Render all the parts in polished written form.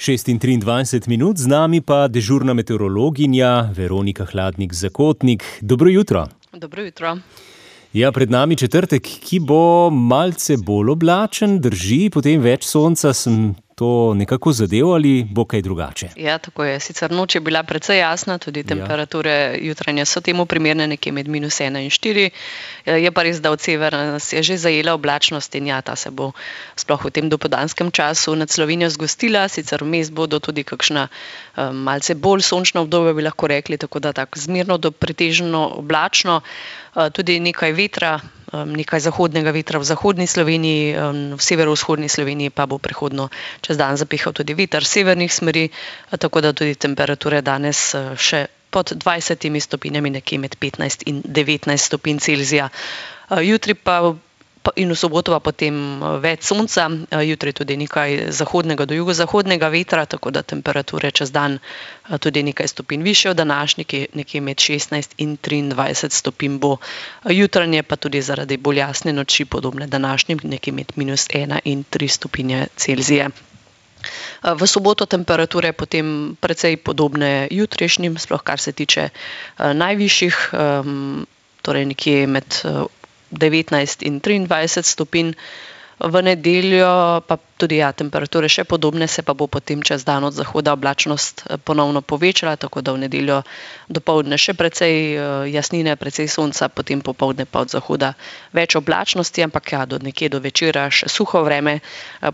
6:23, z nami pa dežurna meteorologinja Veronika Hladnik-Zakotnik. Dobro jutro. Dobro jutro. Ja, pred nami četrtek, ki bo malce bolj oblačen, drži, potem več sonca. Sem to nekako zadev ali bo kaj drugače? Ja, tako je. Sicer noč je bila precej jasna, tudi temperature jutranje so temu primerne, nekje med -1 in 4. Je pa res, da od severa nas je že zajela oblačnost in ja, ta se bo sploh v tem dopoldanskem času nad Slovenijo zgostila. Sicer vmes bodo tudi kakšna malce bolj sončna obdobja, bi lahko rekli, tako da tako zmerno do pretežno oblačno. Tudi nekaj vetra, nekaj zahodnega vetra v zahodni Sloveniji, v severovzhodni Sloveniji pa bo prehodno čez dan zapihal tudi veter severnih smeri, tako da tudi temperature danes še pod 20 stopinjami, nekje med 15 in 19 stopinj Celzija. Jutri pa in v soboto pa potem več sonca, jutri tudi nekaj zahodnega do jugozahodnega vetra, tako da temperature čez dan tudi nekaj stopinj višje od današnjih, nekje med 16 in 23 stopinj bo. Jutranje pa tudi zaradi bolj jasne noči podobne današnjim, nekje med -1 in 3 stopinje Celzije. V soboto temperature potem precej podobne jutrišnjim, sploh kar se tiče najvišjih, torej nekje med 19 in 23 stopinj. V nedeljo pa tudi temperature še podobne, se pa bo potem čez dan od zahoda oblačnost ponovno povečala, tako da v nedeljo dopoldne še precej jasnine, precej sonca, potem popoldne pa od zahoda več oblačnosti, ampak do nekje do večera še suho vreme,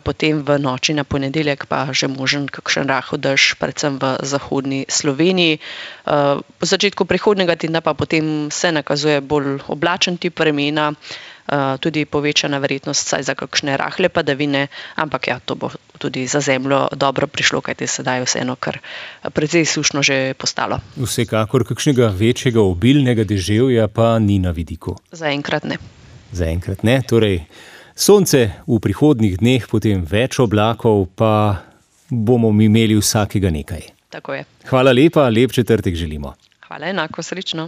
potem v noči na ponedeljek pa že možen kakšen rahel dež, predvsem v zahodni Sloveniji. V začetku prihodnjega tedna pa potem se nakazuje bolj oblačen tip vremena, tudi povečana verjetnost vsaj za kakšne rahle padavine, ampak to bo tudi za zemljo dobro prišlo, kajti sedaj vseeno kar precej sušno že postalo. Vsekakor kakšnega večjega obilnega deževja pa ni na vidiku. Zaenkrat ne. Zaenkrat ne, torej sonce v prihodnjih dneh, potem več oblakov, pa bomo imeli vsakega nekaj. Tako je. Hvala lepa, lep četrtek želimo. Hvala, enako, srečno.